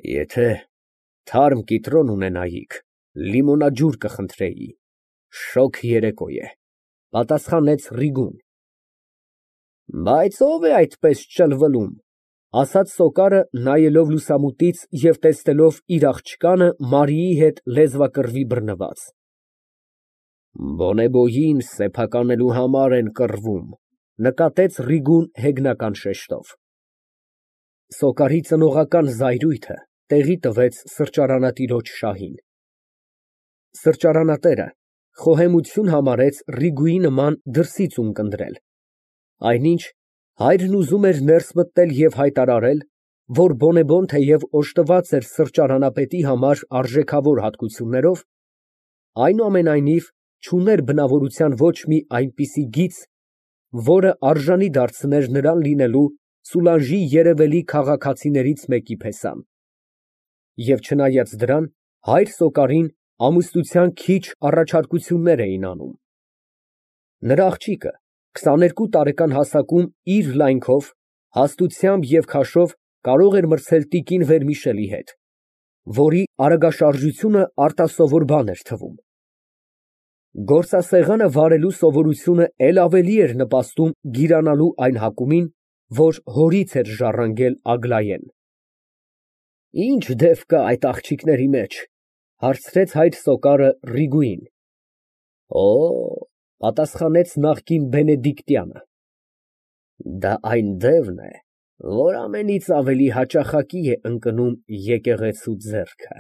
Եթե թարմ կիտրոն ունենայիք, լիմոնադջուր կխնդրեի, շոգ երեկո է, պատասխանեց Ռիգուն։ Բայց ո՞վ է այդպես ճլվլում, ասաց Սոկարը, նայելով լուսամուտից և տեսնելով իր աղջկանը Մարիի հետ լեզվակռվի բռնված։ Բոնեբոյին սեփականելու համար են կռվում, նկատեց Ռիգուն հեգնական շեշտով։ Սոկարի ծնողական զայրույթը տեղի տվեց սրճարանատիրոջ շահին։ Սրճարանատերը խոհեմություն համարեց Ռիգուի նման դրսից ունկնդրել, այնինչ հայրն ուզում էր ներս մտնել և հայտարարել, որ բոնեբոն թեև օժտված էր սրճարանապետի համար արժեքավոր հատկություններով, այնուամենայնիվ չուներ բնավորության ոչ մի այնպիսի գիծ, որը արժանի դարձներ նրան լինելու Սուլանժի երևելի քաղաքացիներից մեկի պես։ Եվ չնայած դրան, հայր Սոկարին ամուսնության քիչ առաջարկություններ էին անում։ Նրա աղջիկը 22 տարեկան հասակում իր լայնքով, հաստությամբ և քաշով կարող էր մրցել տիկին Վերմիշելի հետ, որի արագաշարժությունը արտասովոր բան էր թվում։ Գործասեղանը վարելու սովորությունը էլ ավելի էր նպաստում գիրանալու այն հակումին, որ հորից էր ժառանգել Ագլայեն։ Ի՞նչ դև կա այդ աղջիկների մեջ, հարցրեց հայր Սոկարը Ռիգուին։ Օ, պատասխանեց նախկին բենեդիկտյանը, դա այն դևն է, որ ամենից ավելի հաճախակի է ընկնում եկեղեցու ձեռքը։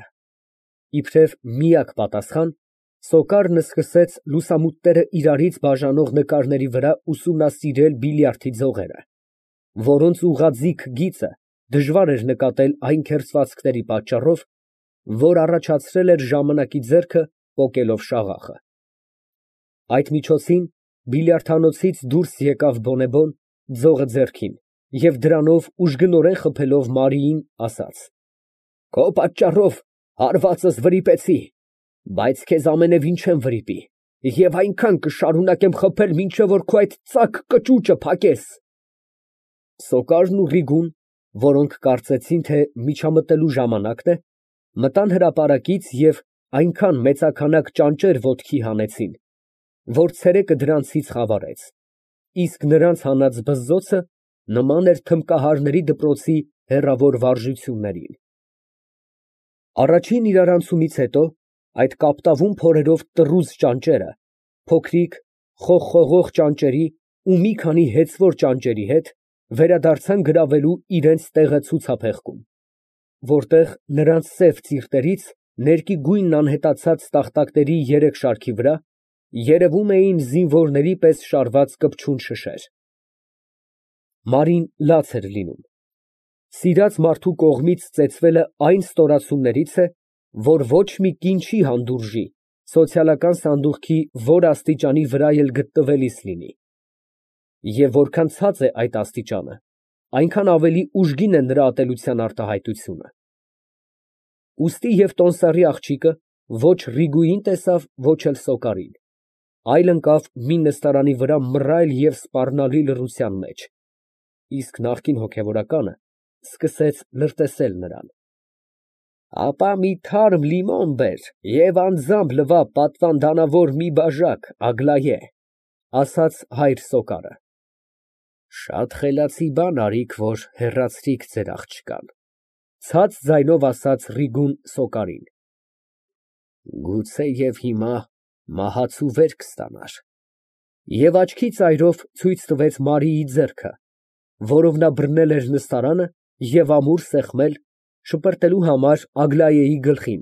Իբրև միակ պատասխան Սոկարն սկսեց լուսամուտները իրարից բաժանող նկարների վրա ուսումնասիրել բիլիարդի ձողերը, որոնց ուղղաձիգ գիծը դժվար էր նկատել այն քերծվածքների պատճառով, որ առաջացրել էր ժամանակի ձեռքը պոկելով շաղախը։ Այդ միջոցին բիլիարդանոցից դուրս եկավ բոնեբոն, ձողը ձեռքին, և դրանով ուժգնորեն խփելով Մարիին, ասաց. Քո պատճառով հարվածս վրիպեցի, բայց քեզ ամենևին չեմ վրիպի և այնքան կշարունակեմ խփել, մինչև որ քո այդ ծակ կճուճը փակես։ Սոկարն ու Ռիգուն, որոնք կարծեցին, թե միջամտելու ժամանակն է, մտան հրապարակից և այնքան մեծաքանակ ճանճեր ոտքի հանեցին, որ ցերեկը դրանցից խավարեց, իսկ նրանց հանած բզզոցը նման էր թմբկահարների դպրոցի հեռավոր վարժություններին։ Առաջին իրարանցումից հետո այդ կապտավուն փորերով տռուզ ճանճերը, փոքրիկ խողխողող ճանճերի ու մի քանի հեծվոր ճանճերի հետ վերադարձան գրավելու իրենց տեղը ցուցափեղկում, որտեղ նրանց սև ծիրտերից ներկի գույնն անհետացած տախտակների երեք շարքի վրա երևում էին զինվորների պես շարված կպչուն շշեր։ Մարին լաց էր լինում։ Սիրած մարդու կողմից ծեծվելը այն ստորացումներից է, որ ոչ մի կին չի հանդուրժի սոցիալական սանդուղքի որ աստիճանի վրա էլ գտնվելիս լինի։ Եվ որքան ցած է այդ աստիճանը, այնքան ավելի ուժգին է նրա ատելության արտահայտությունը։ Ուստի և տոմսարի աղջիկը ոչ Ռիգուին տեսավ, ոչ էլ Սոկարին, այլ ընկավ մի նստարանի վրա մռայլ և սպառնալի լռության մեջ, իսկ նախկին հոգևորականը սկսեց լրտեսել նրան։ Ապա մի թարմ լիմոն բեր և անձամբ լվա պատվանդանավոր մի բաժակ, Ագլայե, ասաց հայր Սոկարը։ Շատ խելացի բան արիք, որ հեռացրիք ձեր աղջկան, ցած ձայնով ասաց Ռիգուն Սոկարին։ Գուցեև հիմա մահացու վերք ստանար։ Եվ աչքի ծայրով ցույց տվեց Մարիի ձեռքը, որով նա բռնել էր նստարանը և ամուր սեղմել, շպրտելու համար Ագլայեի գլխին,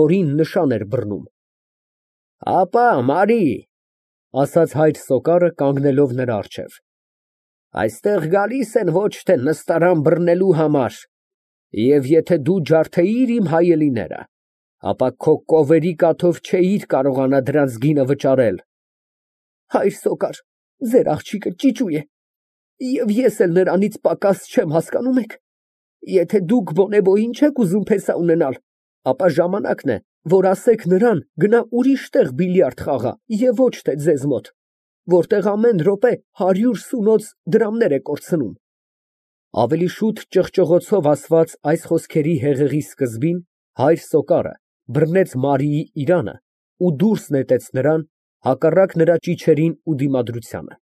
որին նշան էր բռնում։ Ապա, Մարի, ասաց հայր Սոկարը, կանգնելով նրա առջև, այստեղ գալիս են ոչ թե նստարան բռնելու համար, և եթե դու ջարդեիր իմ հայելիները, ապա քո կովերի կաթով չէիր կարողանա դրանց գինը վճարել։ Հայր Սոկար, ձեր աղջիկը ճիճու է, և ես էլ նրանից պակաս չեմ, հասկանում եք։ Եթե դուք բոնեբոյին չեք ուզում փեսա ունենալ, ապա ժամանակն է, որ ասեք նրան գնա ուրիշ տեղ բիլիարդ խաղա և ոչ թե ձեզ մոտ, որտեղ ամեն րոպե 100 սունոց դրամներ է կորցնում։ Ավելի շուտ ճղճղոցով ասված այս խոսքերի հեղեղի սկզբին հայր Սոկարը բռնեց Մարիի իրանը ու դուրս նետեց նրան, հակառակ նրա ճիչերին ու դիմադրությանը։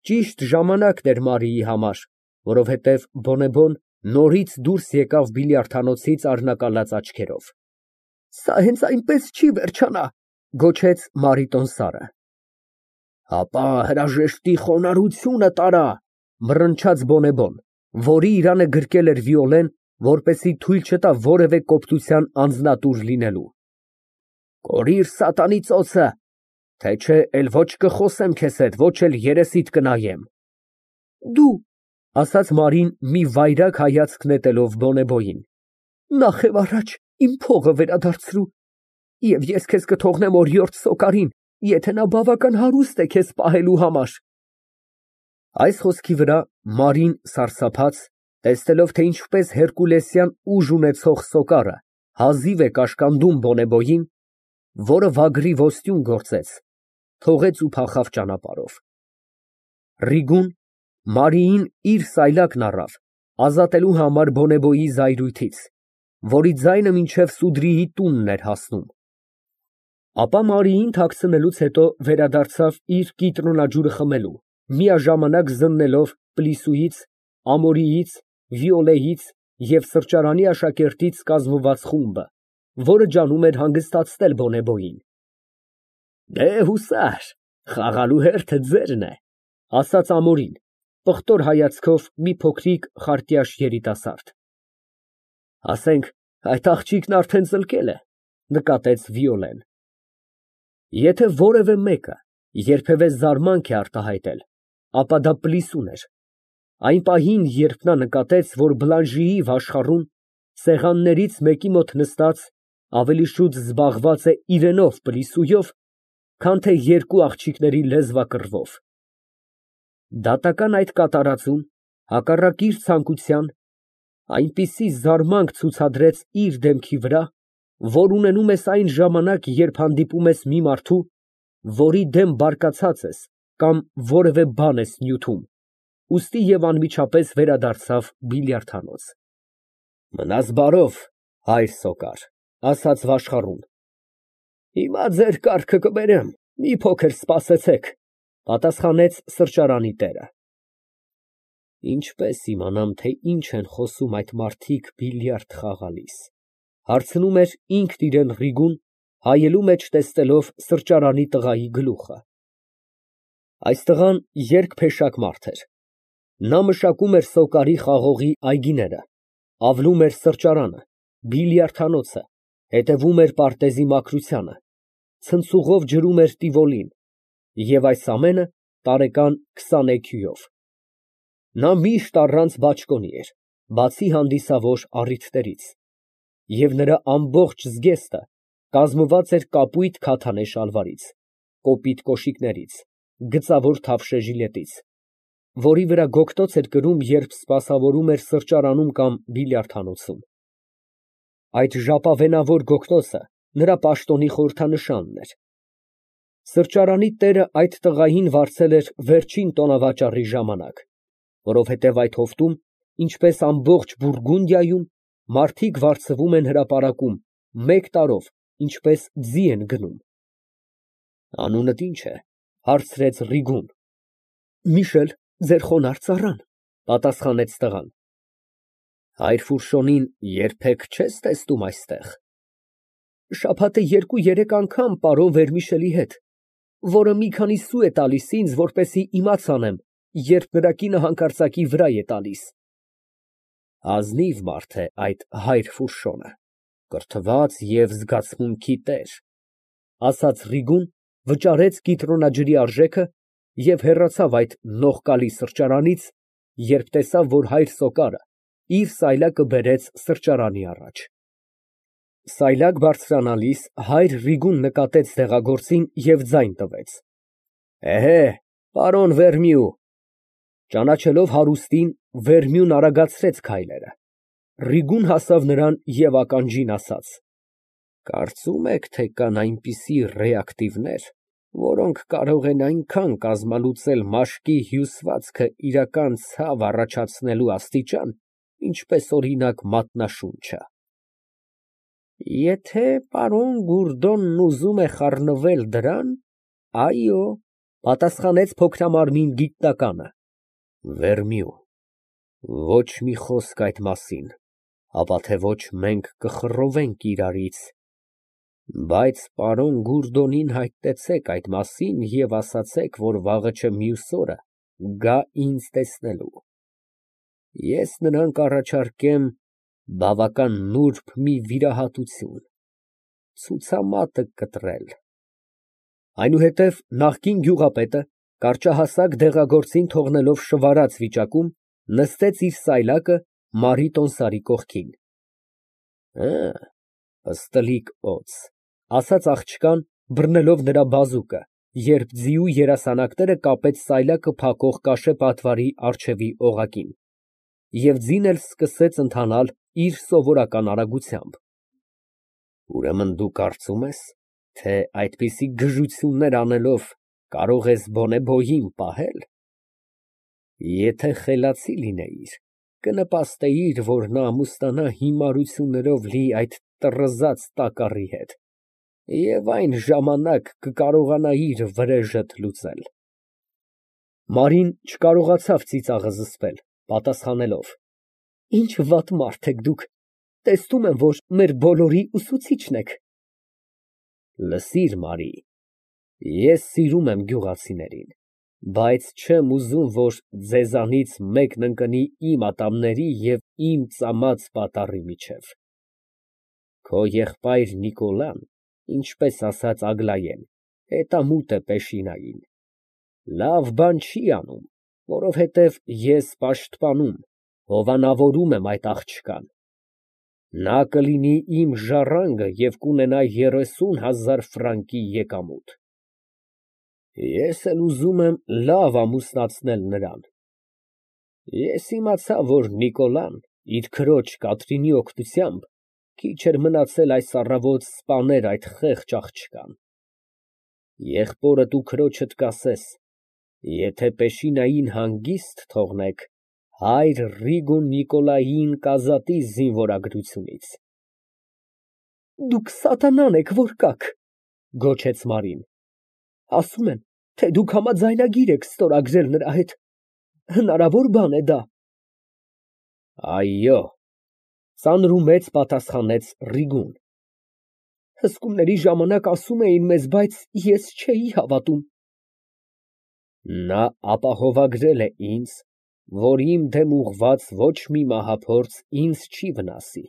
Ճիշտ ժամանակն էր Մարիի համար, որովհետև բոնեբոն նորից դուրս եկավ բիլիարդանոցից արհնակալած աչքերով։ «Սա հենց այնպես չի վերջանա», գոչեց Մարիտոն Սարը։ «Հապա հրաժեշտի խոնարհությունը տարա», մռնչաց բոնեբոն, որի իրանը գրկել էր Վիոլեն, որպեսզի թույլ չտա որևէ կոպտության անձնատուր լինելու։ «Կորիր սատանի ծոցը, թե չէ էլ ոչ կխոսեմ քեզ հետ, ոչ էլ երեսիդ կնայեմ»։ «Դու», ասաց Մարին մի վայրագ հայացք նետելով բոնեբոյին, «նախ և առաջ իմ փողը վերադարձրու, և ես քեզ կթողնեմ օրիորդ Սոկարին, եթե նա բավական հարուստ է քեզ պահելու համար»։ Այս խոսքի վրա Մարին սարսափած, տեսնելով, թե ինչպես հերկուլեսյան ուժ ունեցող Սոկարը հազիվ է կաշկանդում բոնեբոյին, որը վագրի ոստյուն գործեց, թողեց ու փախավ ճանապարհով։ Ռիգուն Մարիին իր սայլակն առավ, ազատելու համար բոնեբոյի զայրույթից, որի ձայնը մինչև Սուդրիի տունն էր հասնում։ Ապա Մարիին թաքցնելուց հետո վերադարձավ իր կիտրոնաջուրը խմելու, միաժամանակ զննելով Պլիսուից, Ամորիից, Վիոլեից և սրճարանի աշակերտից կազմված խումբը, որը ջանում էր հանգստացնել բոնեբոյին։ «Դե հուսար, խաղալու հերթը ձերն է», ասաց Ամորին, պղտոր հայացքով մի փոքրիկ խարտյաշ երիտասարդ։ «Ասենք այդ աղջիկն արդեն ծլկել է», նկատեց Վիոլեն։ Եթե որևէ մեկը երբևէ զարմանք է արտահայտել, ապա դա Պլիսուն էր։ Այն պահին, երբ նա նկատեց, որ Բլանժիի վաշխառուն, սեղաններից մեկի մոտ նստած, ավելի շուտ զբաղված է իրենով Պլիսուով, քան թե երկու աղջիկների լեզվակռվով։ Դատական այդ կատարածում, հակառակ իր ցանկության, այնպիսի զարմանք ցուցադրեց իր դեմքի վրա, որ ունենում ես այն ժամանակ, երբ հանդիպում ես մի մարդու, որի դեմ բարկացած ես կամ որևէ բան ես նյութում, ուստի և անմիջապես վերադարձավ բիլիարդանոց։ «Մնաս բարով, հայր Սոկար», ասաց վաշխառուն։ «Հիմա ձեր կառքը կբերեմ, մի փոքր սպասեցեք», պատասխանեց սրճարանի տերը։ Ինչպե՞ս իմանամ, թե ինչ են խոսում այդ մարդիկ բիլիարդ խաղալիս, հարցնում էր ինքն իրան Ռիգուն, հայելու մեջ տեսնելով սրճարանի տղայի գլուխը։ Այս տղան երկփեշակ մարդ էր։ Նա մշակում էր Սոկարի խաղողի այգիները, ավլում էր սրճարանը, բիլիարդանոցը, հետևում էր պարտեզի մաքրությանը, ցնցուղով ջրում էր տիվոլին, և այս ամենը տարեկան 20 էքյուով։ Նա միշտ առանց բաճկոնի էր, բացի հանդիսավոր առիթներից, և նրա ամբողջ զգեստը կազմված էր կապույտ քաթանե շալվարից, կոպիտ կոշիկներից, գծավոր թավշե ժիլետից, որի վրա գոգտոց էր կրում, երբ սպասավորում էր սրճարանում կամ բիլիարդանոցում։ Այդ ժապավենավոր գոգտոցը նրա պաշտոնի խորհրդանշանն էր։ Սրճարանի տերը այդ տղային վարձել էր վերջին տոնավաճառի ժամանակ, որովհետև այդ հովտում, ինչպես ամբողջ Բուրգունդիայում, մարդիկ վարձվում են հրապարակում մեկ տարով, ինչպես ձի են գնում։ «Անունդ ի՞նչ է», հարցրեց Ռիգուն։ «Միշել, ձեր խոնարհ ծառան», պատասխանեց տղան։ «Հայր Ֆուրշոնին երբեք չես տեսնում այստեղ»։ «Շաբաթը 2-3 անգամ պարոն Վերմիշելի հետ, որը մի քանի սու է տալիս ինձ, որպեսզի իմաց անեմ, երբ նրա կինը հանկարծակի վրա է տալիս»։ Ազնիվ մարդ է այդ հայր Ֆուրշոնը, կրթված և զգացմունքի տեր, ասաց Ռիգուն, վճարեց կիտրոնաջրի արժեքը և հեռացավ այդ նողկալի սրճարանից, երբ տեսավ, որ հայր Սոկարը իր սայլակը բերեց սրճարանի առաջ։ Սայլակ բարձրանալիս հայր Ռիգուն նկատեց դեղագործին և ձայն տվեց. «Էհե, պարոն Վերմիու»։ Ճանաչելով հարուստին, Վերմյուն արագացրեց քայլերը։ Ռիգուն հասավ նրան և ականջին ասաց. «Կարծում եք, թե կան այնպիսի ռեակտիվներ, որոնք կարող են այնքան կազմալուծել մաշկի հյուսվածքը իրական ցավ առաջացնելու աստիճան, ինչպես օրինակ մատնաշունչը։ Եթե պարոն Գուրդոնն ուզում է խառնվել դրան, այո, պատասխանեց փոքրամարմին գիտնականը։ Վերմիու, ոչ մի խոսք այդ մասին, ապա թե ոչ մենք կխռովենք իրարից, բայց պարոն Գուրդոնին հայտնեցեք այդ մասին և ասացեք, որ վաղը չէ մյուս օրը գա ինձ տեսնելու։ Ես նրան կառաջարկեմ բավական նուրբ մի վիրահատություն, ցուցամատը կտրել։ Այնուհետև նախկին գյուղապետը, կարճահասակ դեղագործին թողնելով շվարած վիճակում, նստեց իր սայլակը Մարի տոմսարի կողքին։ Պստլիկ օձ, ասաց աղջկան, բռնելով նրա բազուկը, երբ ձիու երասանակները կապեց սայլակը փակող կաշե պատվարի առջևի օղակին, և ձին էլ սկսեց ընթանալ իր սովորական արագությամբ։ Ուրեմն դու կարծում ես, թե այդպիսի գժություններ անելով կարող ես բոնեբոյին պահել։ Եթե խելացի լինեիր, կնպաստեիր, որ նա ամուսնանա հիմարություններով լի այդ տռզած տակառի հետ, և այն ժամանակ կկարողանայիր վրեժդ լուծել։ Մարին չկարողացավ ծիծաղը զսպել, պատասխանելով. Ինչ վատ մարդ եք դուք, տեսնում եմ, որ մեր բոլորի ուսուցիչն եք։ Լսիր, Մարի, ես սիրում եմ գյուղացիներին, բայց չեմ ուզում, որ ձեզանից մեկն ընկնի իմ ատամների և իմ ծամած պատառի միջև։ Քո եղբայր Նիկոլան, ինչպես ասաց Ագլայեն, հետամուտ է Պեշինային, լավ բան չի անում, որովհետև ես պաշտպանում, հովանավորում եմ այդ աղջկան։ Նա կլինի իմ ժառանգը և կունենա 30,000 ֆրանկի եկամուտ։ Ես էլ ուզում եմ լավ ամուսնացնել նրան։ Ես իմացա, որ Նիկոլան իր քրոջ Կատրինի օգնությամբ քիչ էր մնացել այս առավոտ սպաներ այդ խեղճ աղջկան։ Եղբորդ ու քրոջդ կասես, եթե Պեշինային հանգիստ թողնեք, հայր Ռիգո Նիկոլային կազատի զինվորագրությունից։ Դուք սատանան եք, որ կաք, գոչեց Մարին։ Ասում են, թե դուք համաձայնագիր եք ստորագրել նրա հետ։ Հնարավոր բան է դա։ Այո, ծանրումեծ պատասխանեց Ռիգուն։ Հսկումների ժամանակ ասում էին մեզ, բայց ես չէի հավատում։ Նա ապահովագրել է ինձ, որ իմ դեմ ուղղված ոչ մի մահափորձ ինձ չի վնասի,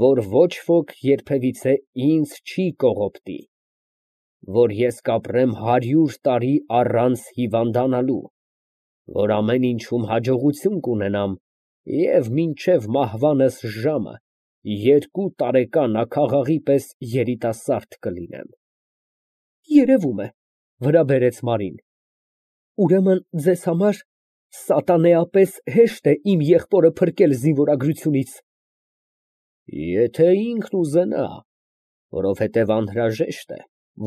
որ ոչ ոք երբևիցե ինձ չի կողոպտի, որ ես կապրեմ 100 տարի առանց հիվանդանալու, որ ամեն ինչում հաջողություն կունենամ և մինչև մահվանս ժամը 2 տարեկան աքաղաղի պես երիտասարդ կլինեմ։ Երևում է, վրա բերեց Մարին։ Ուրեմն ձեզ համար սատանեապես հեշտ է իմ եղբորը փրկել զինվորագրությունից։ Եթե ինքն ուզենա, որովհետև անհրաժեշտ է,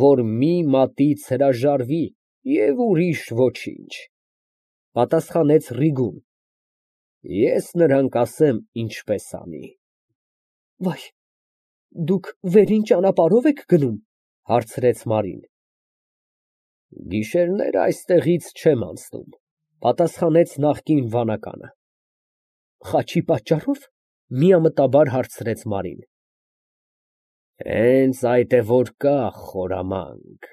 որ մի մատից հրաժարվի և ուրիշ ոչինչ, պատասխանեց Ռիգուն։ Ես նրան կասեմ ինչպես անի։ Վայ, դուք վերին ճանապարհով եք գնում, հարցրեց Մարին։ Գիշերները այստեղից չեմ անցնում, պատասխանեց նախկին վանականը։ Խաչի պատճառո՞վ, միամտաբար հարցրեց Մարին։ Հենց այդ է որ կա խորամանկ,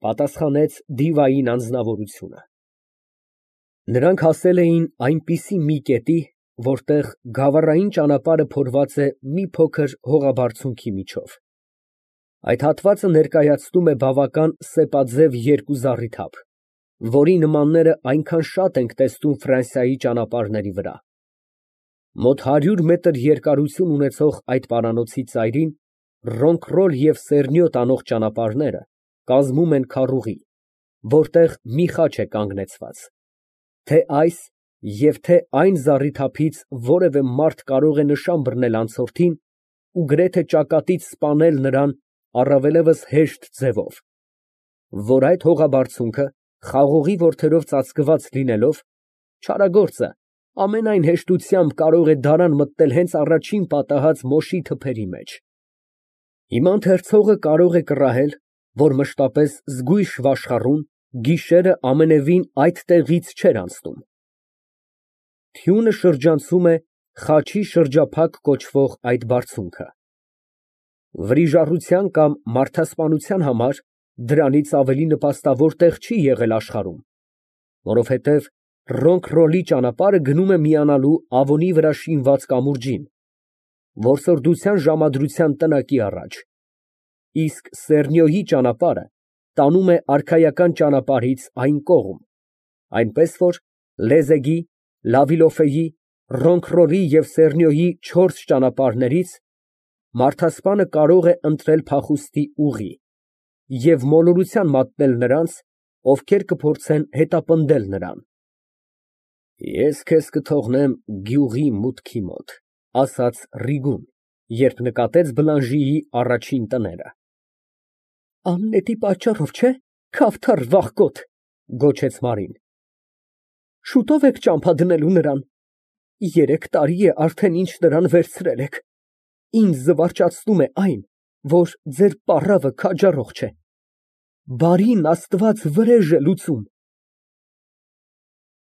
պատասխանեց դիվային անձնավորությունը։ Նրանք հասել էին այնպիսի մի կետի, որտեղ գավառային ճանապարհը փորված է մի փոքր հողաբարձունքի միջով։ Այդ հատվածը ներկայացնում է բավական սեպաձև երկու զառիթափ, որի նմանները այնքան շատ ենք տեսնում Ֆրանսիայի ճանապարհների վրա։ Մոտ 100 մետր երկարություն ունեցող այդ պարանոցի ծայրին Ռոնկռոլ և Սեռնյոտ անող ճանապարհները կազմում են քառուղի, որտեղ մի խաչ է կանգնեցված։ Թե այս և թե այն զառիթափից որևէ մարդ կարող է նշան բռնել անցորդին ու գրեթե ճակատից սպանել նրան առավելևս հեշտ ձևով։ որ այդ հողաբարձունքը խաղողի որդերով ծածկված լինելով, չարագործը ամենայն հեշտությամբ կարող է դարան մտնել հենց առաջին պատահած մոշի թփերի մեջ։ Հիմա ընթերցողը կարող է կռահել, որ մշտապես զգույշ վաշխառուն գիշերը ամենևին այդ տեղից չէր անցնում։ Թյունը շրջանցում է Խաչի շրջափակ կոչվող այդ բարձունքը։ Վրիժառության կամ մարդասպանության համար դրանից ավելի նպաստավոր տեղ չի եղել աշխարհում, որովհետև Ռոնքրոլի ճանապարհը գնում է միանալու Ավոնի վրա շինված կամուրջին, որսորդության ժամադրության տնակի առաջ, իսկ Սեռնիոյի ճանապարհը տանում է արքայական ճանապարհից այն կողմ, այնպես որ Լեզեգի, Լավիլոֆեի, Ռոնքրոլի և Սեռնիոյի չորս ճանապարհներից մարդասպանը կարող է ընտրել փախուստի ուղի և մոլորության մատնել նրանց, ովքեր կփորձեն հետապնդել նրան։ Ես քեզ կթողնեմ գյուղի մուտքի մոտ, ասաց Ռիգուն, երբ նկատեց Բլանժիի առաջին տները։ Աննետի պատճառով չէ, քավթար վախկոտ, գոչեց Մարին։ Շուտով եք ճամփա դնելու նրան։ 3 տարի է արդեն ինչ նրան վերցրել եք։ Ինձ զվարճացնում է այն, որ ձեր պառավը քաջառող չէ։ Բարին Աստված վրեժ է լուծում։